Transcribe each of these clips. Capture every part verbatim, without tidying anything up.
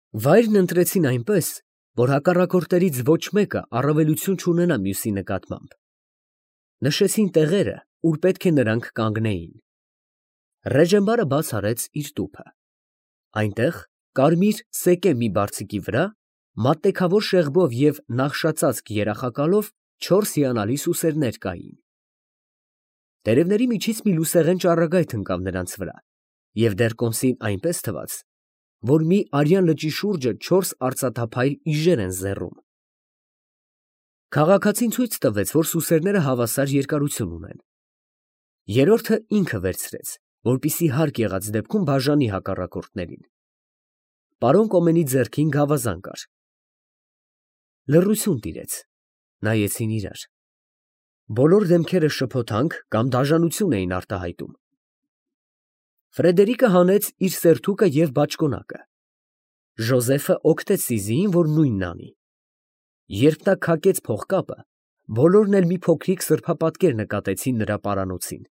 Վայրն ընտրեցին այնպես, որ հակառակորդներից ոչ մեկը առավելություն չունենա մյուսի նկատմամբ. նշեցին տեղերը, ուր պետք է նրանք կանգնեին։ Ռեժենբարը բաց արեց իր տուփը. այնտեղ, կարմիր սեկե մի բարձիկի վրա, մատտեքավոր շեղբով և նախշածածկ երախակալով չորս հիանալի սուսերներ կային։ Տերևների միջից մի լուսեղեն ճառագայթ ընկավ նրանց վրա, և դեռ կոմսին այնպես թվաց, որ մի արյան լճի շուրջը չորս արծաթափայլ իժեր են զեռում։ Քաղաքացին ցույց տվեց, որ սուսերները հավասար երկարություն ունեն։ Երրորդը ինքը վերցրեց, որպեսզի հարկ եղած դեպքում բաժանի հակառակորդներին։ Պարոն Կոմենի ձեռքին գավազան կար։ Լռություն տիրեց, նայեցին իրար։ Բոլոր դեմքերը շփոթանք կամ դաժանություն էին արտահայտում։ Ֆրեդերիկը հանեց իր սերթուկը և բաճկոնակը։ Ժոզեֆը օգնեց Սիզիին, որ նույնն անի։ Երբ նա քակեց փողկապը, բոլորն էլ մի փոքրիկ սրբապատկեր նկատեցին նրա պարանոցին։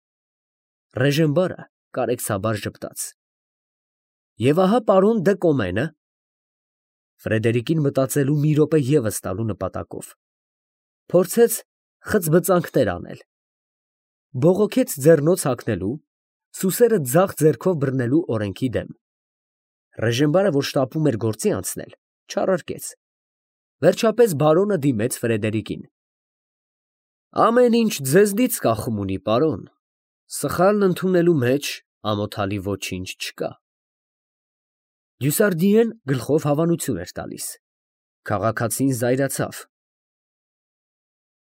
Ռեժենբարը կարեկցաբար ժպտաց։ Եվ ահա պարոն դը Կոմենը… Ֆրեդերիկին մտածելու մի րոպե ևս տալու նպատակով փորձեց խցբծանքներ անել, բողոքեց ձեռնոց հագնելու, սուսերը ձախ ձեռքով բռնելու օրենքի դեմ։ Ռեժենբարը, որ շտապում էր գործի անցնել, չարարկեց։ Վերջապես բարոնը դիմեց Ֆրեդերիկին. ամեն ինչ ձեզնից կախում ունի, պարոն, սխալն ընդունելու մեջ ամոթալի ոչինչ չկա։ Դյուսարդիեն գլխով հավանություն էր տալիս։ Քաղաքացին զայրացավ։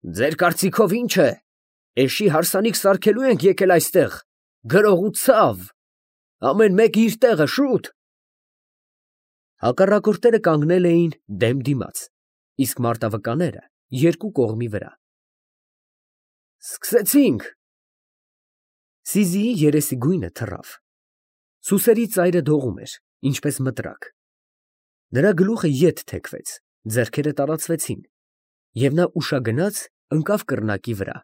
Ձեր կարծիքով ի՞նչ է, էշի հարսանիք սարքելու ենք եկել այստեղ, գրող ու ցավ, ամեն մեկը իր տեղը, շուտ։ Հակառակորդները կանգնել էին դեմ դիմաց, իսկ մարտավկաները երկու կողմի վրա։ Սկսեցինք։ Սիզիի երեսի գույնը թռավ։ Սուսերի ծայրը դողում էր, ինչպես մտրակ։ Նրա գլուխը ետ թեքվեց, ձեռքերը տարածվեցին, և նա ուշագնաց ընկավ կռնակի վրա։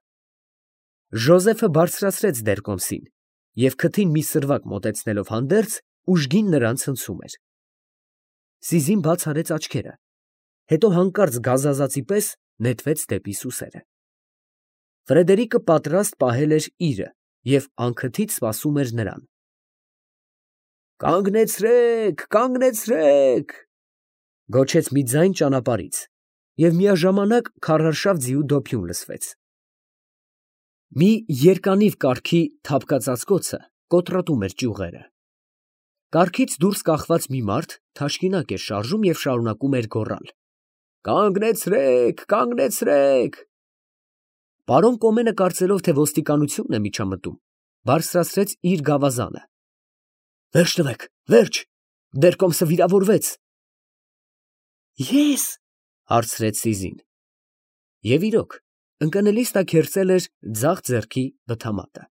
Ժոզեֆը բարձրացրեց դեռ կոմսին և քթին մի սրվակ մոտեցնելով հանդերձ, ուժգին նրան ցնցում էր։ Սիզին բաց արեց աչքերը, հետո հանկարծ գազազածի պես նետվեց դեպի սուսերը։ Ֆրեդերիկը պատրաստ պահել էր իրը և անքթից սպասում էր նրան։ Կանգնեցրե՛ք, կանգնեցրե՛ք, գոչեց մի ձայն ճանապարհից, և միաժամանակ քարարշավ ձիու դոփյուն լսվեց։ Մի երկանիվ կառքի թափկածածկոցը կոտրատում էր ճյուղերը։ Կառքից դուրս կախված մի մարդ թաշկինակ էր շարժում և շարունակում էր գոռալ. Կանգնեցրե՛ք, կանգնեցրե՛ք։ Պարոն Կոմենը, կարծելով, թե ոստիկանությունն է միջամտում, բարձրացրեց իր գավազանը։ Վերջ տվեք, վերջ, դեռ կոմսը վիրավորվեց։ Ե՞ս, հարցրեց Սիզին։ Եվ իրոք, ընկնելիս նա քերծել էր ձախ ձեռքի բթամատը։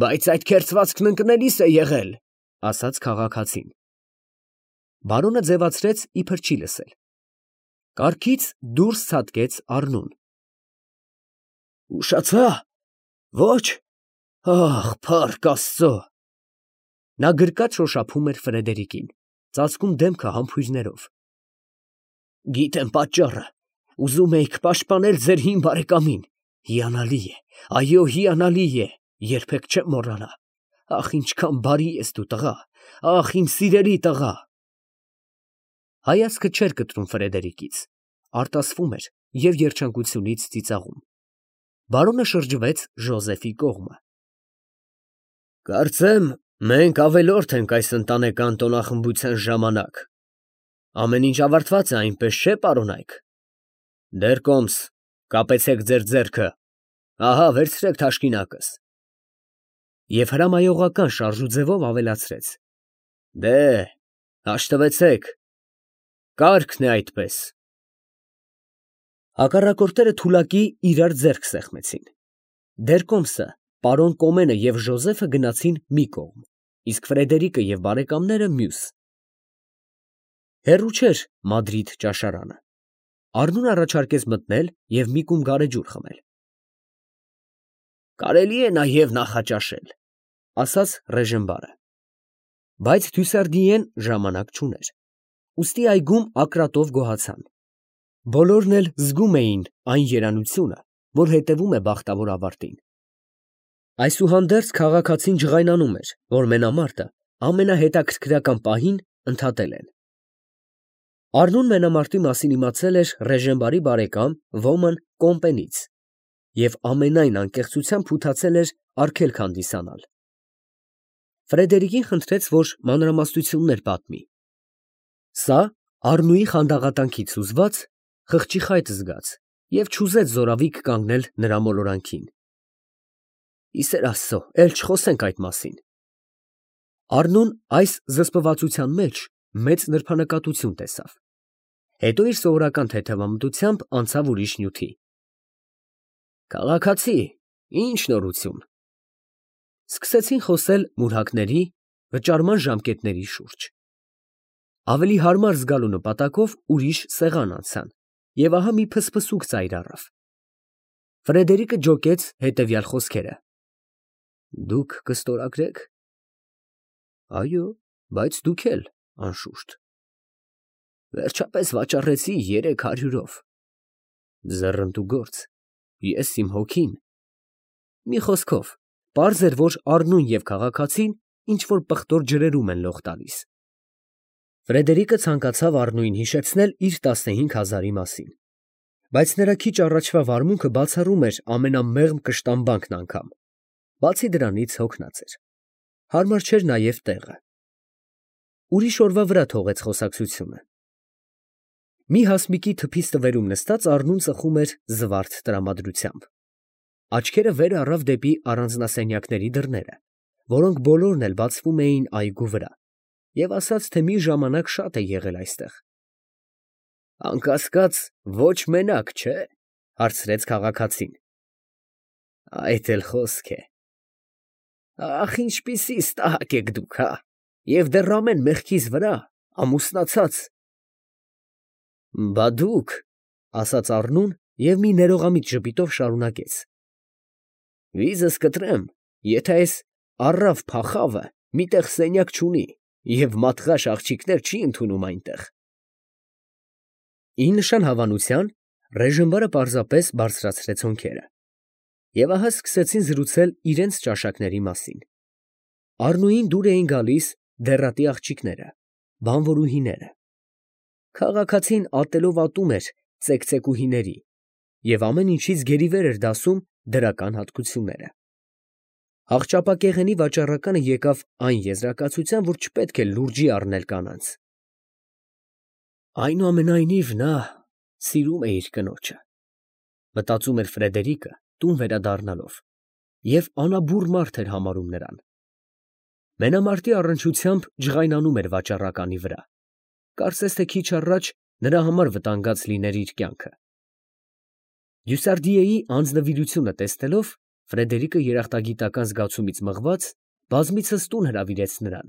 Բայց այդ քերծվածքն ընկնելիս է եղել, ասաց քաղաքացին։ Բարոնը ձևացրեց, իբր չի լսել։ Կառքից դուրս ցատկեց առնուն։ Ուշացա, ոչ, ախ, փառք Աստծո։ Նա գրկած շոշափում էր Ֆրեդերիկին, ծածկում դեմքը համբույրներով։ Գիտեմ պատճառը, ուզում էիք պաշտպանել ձեր հին բարեկամին, հիանալի է, այո, հիանալի է, երբեք չեմ մոռանա, ախ, ինչքան բարի ես դու տղա, ախ, իմ սիրելի տղա։ Հայացքը չէր կտրում Ֆրեդերիկից, արտասվում էր և երջանկությունից ծիծաղում։ Բարոնը շրջվեց Ժոզեֆի կողմը։ Կարծեմ, մենք ավելորդ ենք այս ընտանեկան տոնախմբության ժամանակ։ Ամեն ինչ ավարտված է, այնպես չէ՞, պարոնայք։ Դեռ կոմս, կապեցեք ձեր ձեռքը, ահա վերցրեք թաշկինակս։ Եվ հրամայողական շարժուձևով ավելացրեց. Դե, հաշտվեցեք, կարգն է այդպես։ Հակառակորդները թուլակի իրար ձեռք սեղմեցին։ Դեռ կոմսը, պարոն Կոմենը և Ժոզեֆը գնացին մի կողմ, իսկ Ֆրեդերիկը և բարեկամները մյուս։ Հեռու չէր Մադրիդ ճաշարանը։ Առնուն առաջարկեց մտնել և մի կում գարեջուր խմել։ Կարելի է նաև նախաճաշել, ասաց Ռեժենբարը։ Բայց Դյուսարդիեն ժամանակ չուներ։ ուստի այգում ակրատով գոհացան։ Բոլորն էլ զգում էին այն երանությունը, որ հետևում է բախտավոր ավարտին։ Այսուհանդերձ քաղաքացին ջղայնանում էր, որ մենամարտը ամենահետաքրքրական պահին ընդհատել են։ Առնուն մենամարտի մասին իմացել էր Ռեժենբարի բարեկամ Ոման Կոմպենից և ամենայն անկեղծությամբ փութացել էր արգելք հանդիսանալ։ Ֆրեդերիկին խնդրեց, որ մանրամասնություններ պատմի։ Սա Առնուի խանդաղատանքից հուզված խղճի խայտ զգաց և չուզեց զորավիք կանգնել նրա մոլորանքին։ Ի սեր Աստծո, էլ չխոսենք այդ մասին։ Առնուն այս զսպվածության մեջ մեծ նրբանկատություն տեսավ։ Հետո իր սովորական թեթևամտությամբ անցավ ուրիշ նյութի։ Քաղաքացի, ի՞նչ նորություն։ Սկսեցին խոսել մուրհակների, վճարման ժամկետների շուրջ։ Ավելի հարմար զգալու նպատակով ուրիշ սեղան անցան, և ահա մի փսփսուկ ծայր առավ։ Ֆրեդերիկը ջոկեց հետևյալ խոսքերը. Դուք կստորագրեք։ Այո, բայց դուք էլ, անշուշտ։ Վերջապես վաճառեցի երեք հարյուրով։ Ձեռնտու գործ, ես իմ հոգին։ Մի խոսքով, պարզ էր, որ Առնուն և քաղաքացին ինչ-որ պղտոր ջրերում են լող տալիս։ Ֆրեդերիկը ցանկացավ Առնուին հիշեցնել իր տասնհինգ հազարի մասին, բայց նրա քիչ առաջվա վարմունքը բացառում էր ամենամեղմ կշտամբանքն անգամ, բացի դրանից հոգնած էր, հարմար չէր նաև տեղը։ Ուրիշ օրվա վրա թողեց խոսակցությունը։ Մի հասմիկի թփի ստվերում նստած Առնուն ծխում էր զվարթ տրամադրությամբ։ Աչքերը վեր առավ դեպի առանձնասենյակների դռները, որոնք բոլորն էլ բացվում էին այգու վրա, և ասաց, թե մի ժամանակ շատ է եղել այստեղ։ Անկասկած, ոչ մենակ, չէ՞, հարցրեց քաղաքացին։ Այդ էլ խոսք է։ Ախ, ինչպիսի ստահակ եք դուք, հա, և դեռ ամեն մեղքիս վրա ամուսնացած։ Բա դուք, ասաց Առնուն և մի ներողամիտ ժպիտով շարունակեց. Վիզս կտրեմ, եթե այս առավ փախավը մի տեղ սենյակ չունի և մատղաշ աղջիկներ չի ընդունում այնտեղ։ Ի նշան հավանության Ռեժենբարը պարզապես բարձրացրեց հոնքերը, և ահա սկսեցին զրուցել իրենց ճաշակների մասին։ Առնուին դուր էին գալիս դեռատի աղջիկները, բանվորուհիները։ Քաղաքացին ատելով ատում էր ծեքծեկուհիների և ամեն ինչից գերիվեր էր դասում դրական հատկությունները։ Աղճապակեղենի վաճառականը եկավ այն եզրակացության, որ չպետք է լուրջի առնել կանանց։ Այնուամենայնիվ, նա սիրում է իր կնոջը, մտածում էր Ֆրեդերիկը, տուն վերադառնալով, և անաբուռ մարդ էր համարում նրան։ Մենամարտի առնչությամբ ջղայնանում էր վաճառականի վրա, կարծես թե քիչ առաջ նրա համար վտանգած լիներ իր կյանքը։ Դյուսարդիեի անձնվիրությունը տեսնելով, Ֆրեդերիկը երախտագիտական զգացումից մղված բազմիցս տուն հրավիրեց նրան,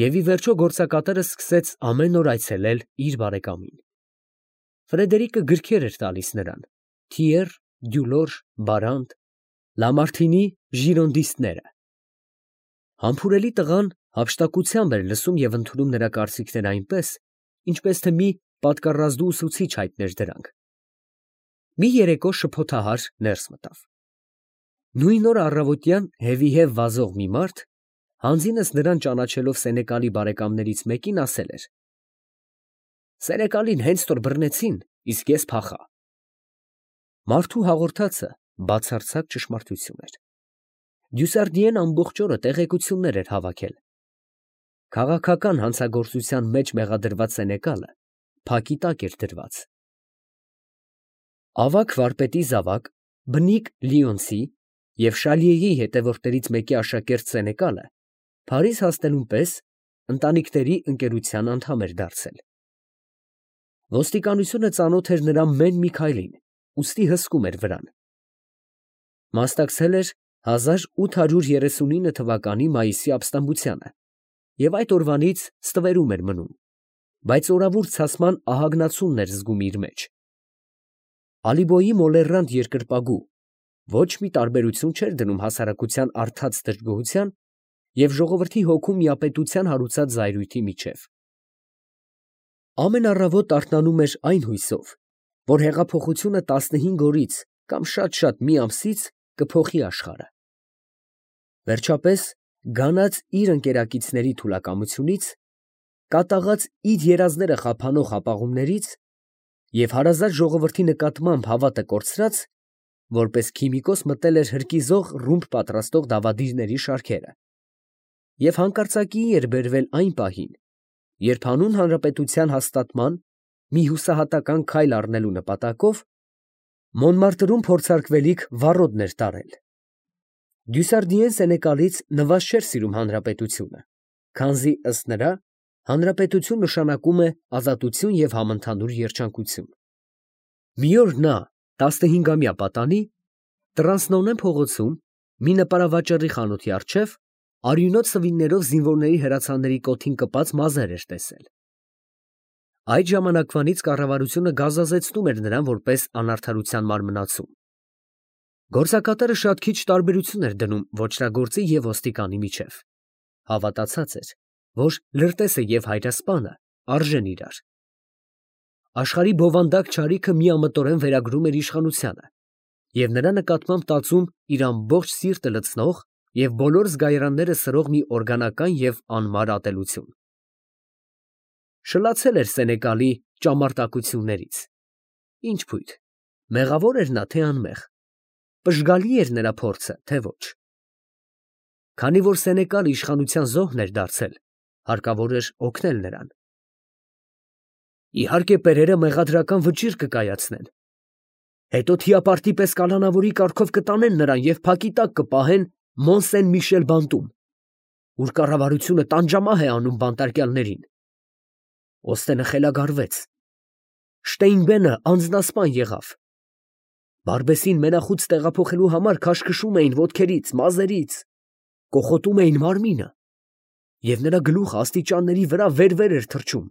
և ի վերջո գործակատարը սկսեց ամեն օր այցելել իր բարեկամին։ Ֆրեդերիկը գրքեր էր տալիս նրան, Թիեր, Դյուլոր, Բարանդ, Լամարթինի ժիրոնդիստները։ Համբուրելի տղան հափշտակությամբ էր լսում և ընդունում նրա կարծիքները այնպես, ինչպես թե մի պատկառազդու ուսուցիչ հայտներ դրանք։ Մի երեկո շփոթահար ներս մտավ։ Նույն օր առավոտյան հևիհև վազող մի մարդ, հանձինս նրան ճանաչելով Սենեկալի բարեկամներից մեկին, ասել էր. Սենեկալին հենց որ բռնեցին, իսկ ես փախա։ Մարդու հաղորդածը բացարձակ ճշմարտություն էր։ Դյուսարդիեն ամբողջ օրը տեղեկություններ էր հավաքել։ Քաղաքական հանցագործության մեջ մեղադրված Սենեկալը փակի տակ էր դրված։ Ավագ վարպետի զավակ, բնիկ լիոնցի և Շալիեի հետևորդներից մեկի աշակերտ Սենեկալը Փարիզ հասնելուն պես ընտանիքների ընկերության անդամ էր դարձել։ Ոստիկանությունը ծանոթ էր նրա մեն մի քայլին, ուստի հսկում էր վրան։ Մասնակցել էր հազար ութ հարյուր երեսունինը թվականի մայիսի ապստամբությանը և այդ օրվանից ստվերում էր մնում, բայց օրավուրց ցասման ահագնացումն էր զգում իր մեջ։ Ալիբոյի մոլեռանդ երկրպագու ոչ մի տարբերություն չէր դնում հասարակության առթած դժգոհության և ժողովրդի հոգու միապետության հարուցած զայրույթի միջև։ Ամեն առավոտ արթնանում էր այն հույսով, որ հեղափոխությունը տասնհինգ օրից կամ շատ-շատ մի ամսից կփոխի աշխարհը։ Վերջապես, գանած իր ընկերակիցների թուլակամությունից, կատաղած իր երազները խափանող հապաղումներից և հարազատ ժողովրդի նկատմամբ հավատը կորցրած, որպես քիմիկոս մտել էր հրկիզող ռումբ պատրաստող դավադիրների շարքերը և հանկարծակիի էր բերվել այն պահին, երբ հանուն հանրապետության հաստատման մի հուսահատական քայլ առնելու նպատակով Մոնմարտրում փորձարկվելիք վառոդն էր տարել։ Դյուսարդիեն Սենեկալից նվազ չէր սիրում հանրապետությունը, քանզի ըստ նրա հանրապետություն նշանակում է ազատություն և համընդհանուր երջանկություն։ Մի օր նա տասնհինգամյա պատանի Տրանսնոնե փողոցում մի նպարավաճառի խանութի առջև արյունոտ սվիններով զինվորների հրացանների կոթին կպած մազեր էր տեսել։ Այդ ժամանակվանից կառավարությունը գազազեցնում էր նրան որպես անարդարության մարմնացում։ Գործակատարը շատ քիչ տարբերություն էր դնում ոճրագործի և ոստիկանի միջև, հավատացած էր, որ լրտեսը և հայրասպանը արժեն իրար։ Աշխարհի բովանդակ չարիքը միամտորեն վերագրում էր իշխանությանը և նրա նկատմամբ տածում իր ամբողջ սիրտը լցնող և բոլոր զգայարանները սրող մի օրգանական և անմար ատելություն։ Շլացել էր Սենեկալի ճամարտակություններից։ Ինչ փույթ, մեղավոր էր նա, թե անմեղ, պժգալի էր նրա փորձը, թե ոչ։ Քանի որ Սենեկալը իշխանության զոհն էր դարձել, հարկավոր էր օգնել նրան։ Իհարկե, պերերը մեղադրական վճիռ կկայացնեն, հետո թիապարտի պես կալանավորի կարգով կտանեն նրան և փակի տակ կպահեն Մոն֊Սեն֊Միշել բանտում, ուր կառավարությունը տանջամահ է անում բանտարկյալներին։ Օստենը խելագարվեց, Շտեյնբենը անձնասպան եղավ, Բարբեսին մենախույծ տեղափոխելու համար քաշքշում էին ոտքերից, մազերից, կոխոտում էին մարմինը, և նրա գլուխը աստիճանների վրա վեր֊վեր էր թռչում։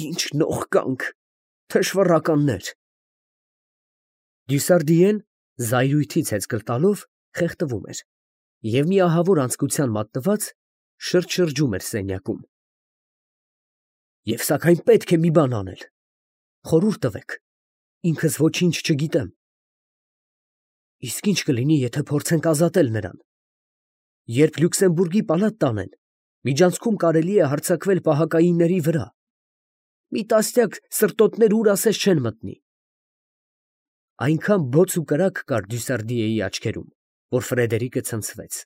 Ի՜նչ նողկանք, թշվառականներ։ Դյուսարդիեն զայրույթից հեծկլ տալով խեղդվում էր և մի ահավոր անձկության մատնված շրջշրջում էր սենյակում։ Եվ սակայն պետք է մի բան անել, խորհուրդ տվեք, ինքս ոչինչ չգիտեմ։ Իսկ ի՞նչ կլինի, եթե փորձենք ազատել նրան։ Երբ Լյուքսեմբուրգի պալատ տանեն, միջանցքում կարելի է հարձակվել պահակայինների վրա։ Մի տասնյակ սրտոտներ ուր ասես չեն մտնի։ Այնքան բոց ու կրակ կար Դյուսարդիեի աչքերում, որ Ֆրեդերիկը ցնցվեց։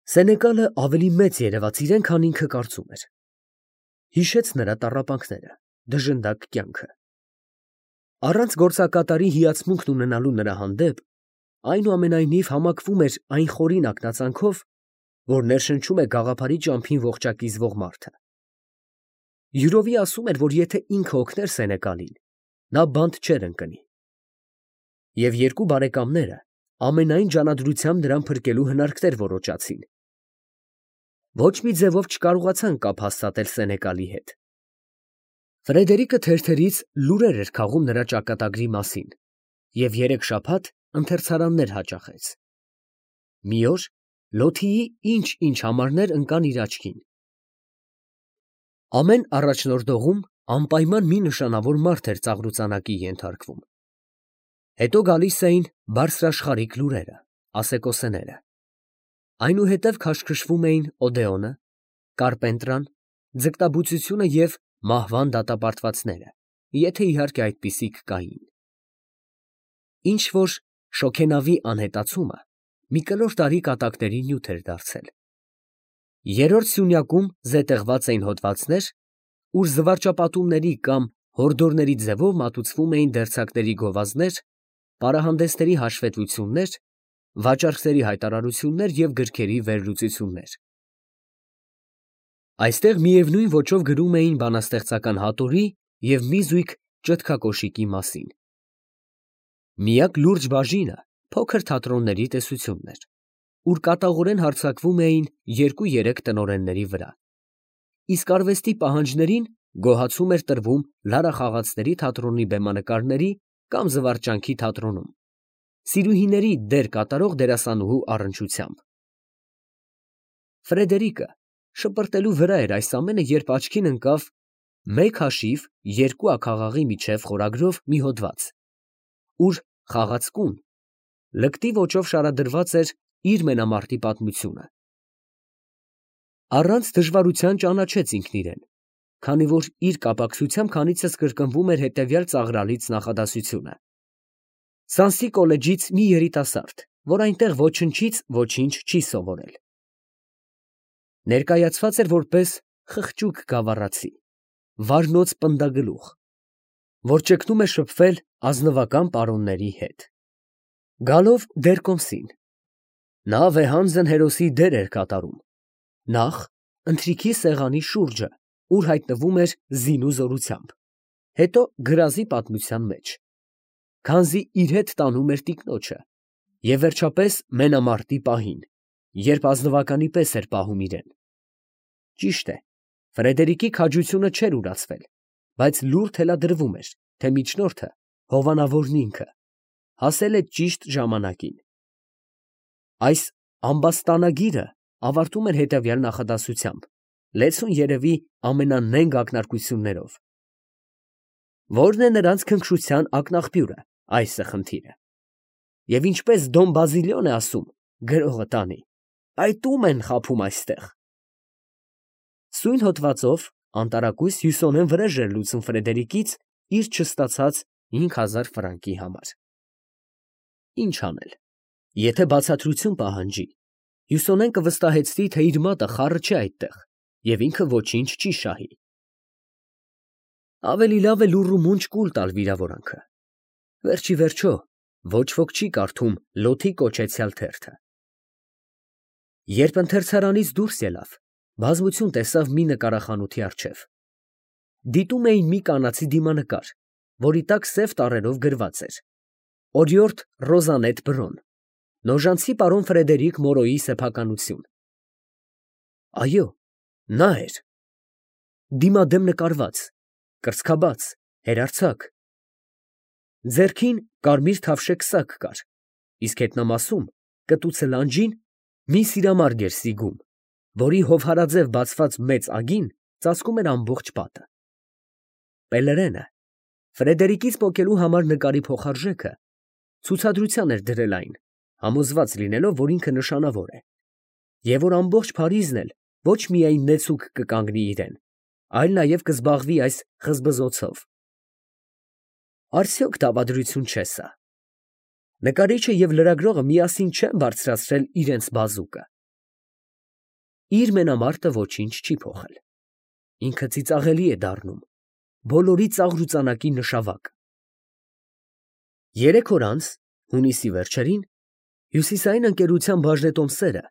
Սենեկալը ավելի մեծ երևաց իրեն, քան ինքը կարծում էր։ Հիշեց նրա տառապանքները, դժնդակ կյանքը։ Առանց գործակատարի հիացմունքն ունենալու նրա հանդեպ, այնուամենայնիվ համակվում էր այն խորին ակնածանքով, որ ներշնչում է գաղափարի ճամփին ողջակիզվող մարդը։ Յուրովի ասում էր, որ եթե ինքը օգներ Սենեկալին, նա բանտ չէր ընկնի։ Եվ երկու բարեկամները ամենայն ջանադրությամբ նրան փրկելու հնարքներ որոճացին։ Ոչ մի ձևով չկարողացան կապ հաստատել Սենեկալի հետ։ Ֆրեդերիկը թերթերից լուրեր էր քաղում նրա ճակատագրի մասին և երեք շաբաթ ընթերցարաններ հաճախեց։ Մի օր Լոթիի ինչ֊ինչ համարներ ընկան իր աչքին։ Ամեն առաջնորդողում անպայման մի նշանավոր մարդ էր ծաղրուծանակի ենթարկվում։ Հետո գալիս էին բարձրաշխարհիկ լուրերը, ասեկոսեները։ Այնուհետև քաշքշվում էին Օդեոնը, Կարպենտրան, ձկնաբուծությունը և մահվան դատապարտվածները, եթե իհարկե այդպիսիք կային։ Ինչ-որ շոգենավի անհետացումը մի կլոր տարի կատակների նյութ էր դարձել։ Երրորդ սյունյակում զետեղված էին հոդվածներ, ուր զվարճապատումների կամ հորդորների ձևով մատուցվում էին դերձակների գովազդներ, պարահանդեսների հաշվետվություններ, վաճառքների հայտարարություններ և գրքերի վերլուծություններ։ Այստեղ միևնույն ոճով գրում էին բանաստեղծական հատորի և մի զույգ ճտկակոշիկի մասին։ Միակ լուրջ բաժինը փոքր թատրոնների տեսությունն էր, ուր կատաղորեն հարձակվում էին երկու֊երեք տնօրենների վրա, իսկ արվեստի պահանջներին գոհացում էր տրվում Լարախաղացների թատրոնի բեմանկարների կամ Զվարճանքի թատրոնում սիրուհիների դեր կատարող դերասանուհու առնչությամբ։ Ֆրեդերիկը շպրտելու վրա էր այս ամենը, երբ աչքին ընկավ Մեկ հաշիվ երկու աքաղաղի միջև խորագրով մի հոդված, ուր խաղացկուն լկտի ոճով շարադրված էր իր մենամարտի պատմությունը։ Առանց դժվարության ճանաչեց ինքն իրեն, քանի որ իր կապակցությամբ քանիցս կրկնվում էր հետևյալ ծաղրալից նախադասությունը. Սանսի կոլեջից մի երիտասարդ, որ այնտեղ ոչնչից ոչինչ չի սովորել։ Ներկայացված էր որպես խղճուկ գավառացի, վարնոց պնդագլուխ, որ ճգնում է շփվել ազնվական պարոնների հետ։ Գալով դեր կոմսին, նա վեհանձն հերոսի դեր էր կատարում, նախ ընթրիքի սեղանի շուրջը, ուր հայտնվում էր զինու զորությամբ, հետո գրազի պատմության մեջ, քանզի իր հետ տանում էր տիկնոջը, և վերջապես մենամարտի պահին, երբ ազնվականի պես էր պահում իրեն։ Ճիշտ է, Ֆրեդերիկի քաջությունը չէր ուրացվել, բայց լուր թելադրվում էր, թե միջնորդը, հովանավորն ինքը, հասել է ճիշտ ժամանակին։ Այս ամբաստանագիրը ավարտում էր հետևյալ նախադասությամբ, լեցուն երևի ամենանենգ ակնարկություններով. Ո՞րն է նրանց քնքշության ակնաղբյուրը, այս է խնդիրը։ Եվ ինչպես Դոն Բազիլիոն է ասում, գրողը տանի, այդ ո՞ւմ են խաբում այստեղ։ Սույն հոդվածով անտարակույս հյուսոնեն վրեժ էր լուծում Ֆրեդերիկից իր չստացած հինգ հազար ֆրանկի համար։ Ինչ անել, եթե բացատրություն պահանջի, Հյուսոնեն կվստահեցնի, թե իր մատը խառը չէ այդտեղ, և ինքը ոչինչ չի շահի։ Ավելի լավ է լուռ ու մունջ կուլ տալ վիրավորանքը։ Վերջ ի վերջո, ոչ ոք չի կարդում Լոթի կոչեցյալ թերթը։ Երբ ընթերցարանից դուրս ելավ, բազմություն տեսավ մի նկարախանութի առջև։ Դիտում էին մի կանացի դիմանկար, որի տակ սև տառերով գրված էր. Օրիորդ Ռոզանետ Բրոն, Նոժանցի պարոն Ֆրեդերիկ Մորոյի սեփականություն։ Այո, նա էր։ Դիմադեմ նկարված, կրծքաբաց, հերարձակ։ Ձեռքին կարմիր թավշե քսակ կար, իսկ հետնամասում, կտուցը լանջին, մի սիրամարգ էր սիգում, որի հովհարաձև բացված մեծ ագին ծածկում էր ամբողջ պատը։ Պելերենը, Ֆրեդերիկից պոկելու համար նկարի փոխարժեքը, ցուցադրության էր դրել այն, համոզված լինելով, որ ինքը նշանավոր է, և որ ամբողջ Փարիզն էլ ոչ միայն նեցուկ կկանգնի իրեն, այլ նաև կզբաղվի այս խզբզոցով։ Արդյոք դավադրություն չէ սա։ Նկարիչը և լրագրողը միասին չեն բարձրացրել իրենց բազուկը։ Իր մենամարտը ոչինչ չի փոխել։ Ինքը ծիծաղելի է դառնում, բոլորի ծաղրուծանակի նշավակ։ Երեք օր անց, հունիսի վերջերին, Հյուսիսային ընկերության բաժնետոմսերը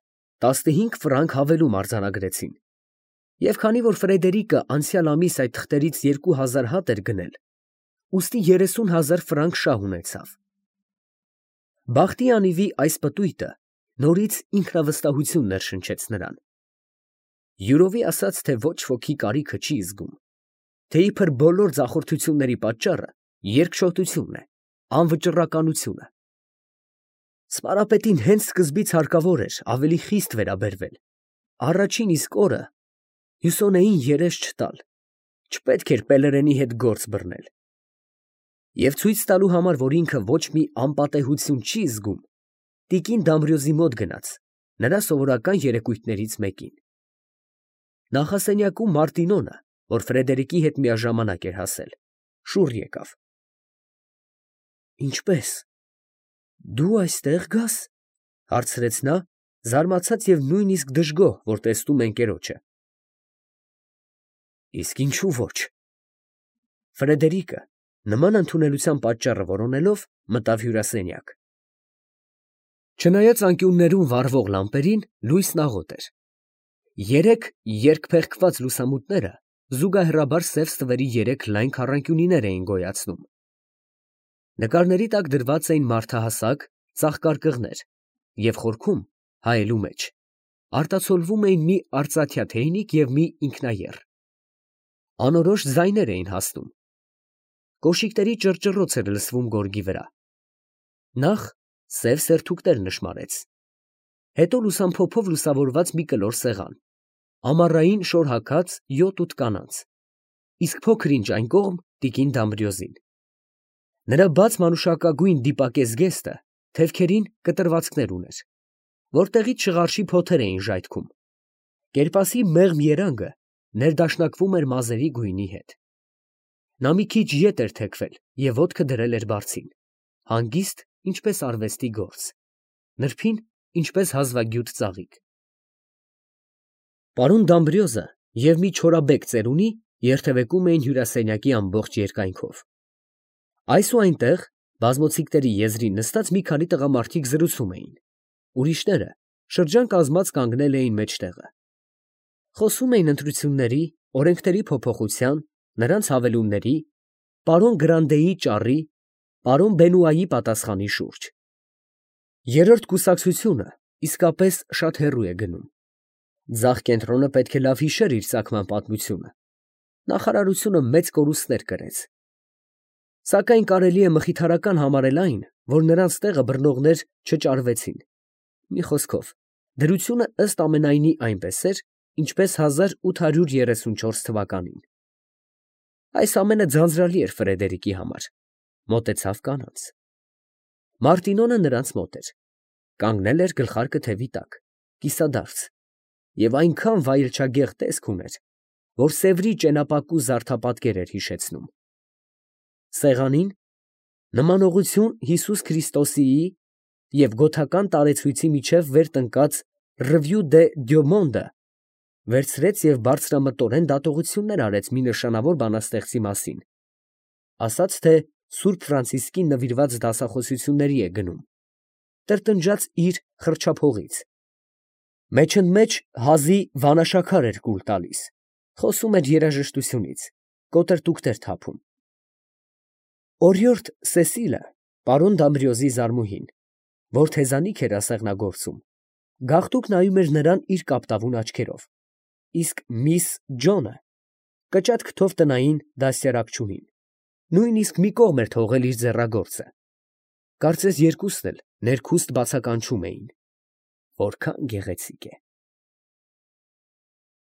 տասնհինգ ֆրանկ հավելում արձանագրեցին, և քանի որ Ֆրեդերիկը անցյալ ամիս այդ թղթերից երկու հազար հատ էր գնել, ուստի երեսուն հազար ֆրանկ շահ ունեցավ։ Բախտի անիվի այս պտույտը նորից ինքնավստահություն ներշնչեց նրան։ Յուրովի ասաց, թե ոչ ոքի կարիքը չի զգում, թե իբր բոլոր ձախորդությունների պատճառը երկչոտությունն է, անվճռականությունը։ Սպարապետին հենց սկզբից հարկավոր էր ավելի խիստ վերաբերվել, առաջին իսկ օրը Հյուսոնեին երես չտալ, չպետք էր Պելերենի հետ գործ բռնել։ Եվ ցույց տալու համար, որ ինքը ոչ մի անպատեհություն չի զգում, տիկին Դամբրիոզի մոտ գնաց, նրա սովորական երեկույթներից մեկին։ Նախասենյակում Մարտինոնը, որ Ֆրեդերիկի հետ միաժամանակ էր հասել, շուռ եկավ։ Ինչպե՞ս, դու այստեղ գաս, ֊ հարցրեց նա, զարմացած և նույնիսկ դժգոհ, որ տեսնում է ընկերոջը։ Իսկ ինչու ոչ։ Ֆրեդերիկը, նման ընդունելության պատճառը որոնելով, մտավ հյուրասենյակ։ Չնայած անկյուններում վառվող լամպերին, լույսն աղոտ էր։ Երեք երկփեղկված լուսամուտները զուգահեռաբար սև ստվերի երեք լայն քառանկյունիներ էին գոյացնում։ Նկարների տակ դրված էին մարդահասակ ծաղկարկղներ և խորքում, հայելու մեջ, արտացոլվում էին մի արծաթյա թեյնիկ և մի ինքնաեռ։ Անորոշ ձայներ էին հասնում։ Կոշիկների ճռճռոց էր լսվում գորգի վրա։ Նախ սև սերթուկներ նշմարեց, հետո լուսամփոփով լուսավորված մի կլոր սեղան, ամառային շոր հագած յոթ ութ կանանց, իսկ փոքր ինչ այն կողմ տիկին Դամբրիոզին։ Նրա բաց մանուշակագույն դիպակես գեստը թևքերին կտրվածքներ ուներ, որտեղից շղարշի փոթեր էին ժայթքում։ Կերպասի մեղմ երանգը ներդաշնակվում էր մազերի գույնի հետ։ Նա մի քիչ ետ էր թեքվել և ոտքը դրել էր բարձին, հանգիստ, ինչպես արվեստի գործ, նրբին, ինչպես հազվագյուտ ծաղիկ։ Պարոն Դամբրիոզը և մի չորաբեկ ծերունի երթևեկում էին հյուրասենյակի ամբողջ երկայնքով։ Այս ու այնտեղ, բազմոցիկների եզրին նստած մի քանի տղամարդիկ զրուցում էին, ուրիշները շրջան կազմած կանգնել էին մեջտեղը։ Խոսում էին ընտրությունների, օրենքների փոփոխության, նրանց հավելումների, պարոն Գրանդեի ճառի, պարոն Բենուայի պատասխանի շուրջ։ Երրորդ կուսակցությունը իսկապես շատ հեռու է գնում։ Ձախ կենտրոնը պետք է լավ հիշեր իր ծագման պատմությունը, նախարարությունը մեծ կորուստներ կրեց։ Սակայն կարելի է մխիթարական համարել այն, որ նրանց տեղը բռնողներ չճարվեցին։ Մի խոսքով, դրությունը ըստ ամենայնի այնպես էր, ինչպես հազար ութ հարյուր երեսունչորս թվականին։ Այս ամենը ձանձրալի էր Ֆրեդերիկի համար, մոտեցավ կանանց։ Մարտինոնը նրանց մոտ էր, կանգնել էր գլխարկը թևի տակ, կիսադարձ, և այնքան վայելչագեղ տեսք ուներ, որ Սևրի ճենապակու զարդապատկեր էր հիշեցնում։ Սեղանին նմանողություն Հիսուս Քրիստոսիի և գոթական տարեցույցի միջև վեր տնկած Ռվյու դե Դյոմոնդը վերցրեց և բարձրամտորեն դատողություններ արեց մի նշանավոր բանաստեղծի մասին, ասաց, թե Սուրբ Ֆրանցիսկին նվիրված դասախոսությունների է գնում, տրտնջաց իր խրճափողից, մեջընդմեջ հազի վանաշաքար էր կուլ տալիս, խոսում էր երաժշտությունից, կոտրտուկներ թափում։ Օրիորդ Սեսիլը, պարոն Դամբրիոզի զարմուհին, որ թեզանիք էր ասեղնագործում, գաղտուկ նայում էր նրան իր կապտավուն աչքերով, իսկ միս Ջոնը կճատ քթով տնային դաստիարակչուհին նույնիսկ մի կողմ էր թողել իր ձեռագործը։ Կարծես երկուսն էլ ներքուստ բացականչում էին. «Որքա՜ն գեղեցիկ է»։